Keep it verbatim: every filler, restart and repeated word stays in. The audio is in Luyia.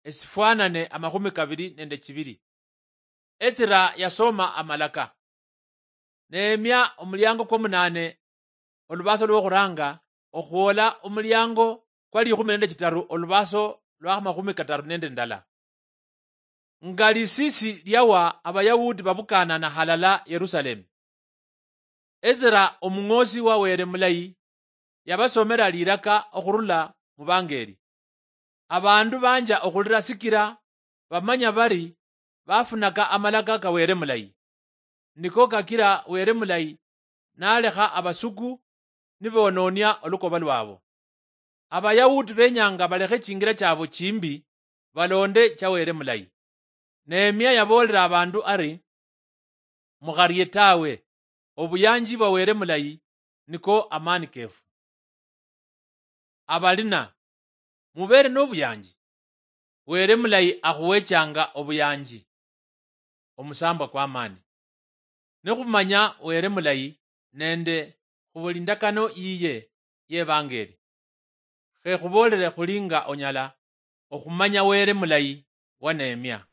esifwanane amakhumi kabili nende chibili. Ezira yasoma amalaka. Nehemia omuliango kwomunane, olubaso lwokhuranga, okhwola omuliango kwa likhumi nende chitaru, olubaso lwa makhumi kataru nende ndala. Nga lisisi liawa, Abayahudi babukanana halala Yerusalemu. Ezira omung'osi wa Were mulayi yabasomera liraka okhurula mubangeri. Abandu banja okhulira sikira bamanya bari bafunaka amalaka ka Were mulayi. Niko kakira Were mulayi nalekha abasuku nibononia olukoba lwabo. Abayahudi benyanga balekhe chingira chabo chimbi, balonde cha Were mulayi. Nehemia yaboolera abandu ari, "Mukharie tawe, obuyanji bwa Were mulayi niko amani kefu." Abalina, mubeere nobuyanji. Were mulayi akhuwechanga obuyanji, omusambwa kwamani. Nikhumanya Were mulayi nende khubuli indakano yiye yebangeri, khe khuboolere khuli nga onyala okhumanya Were mulayi wa Nehemia.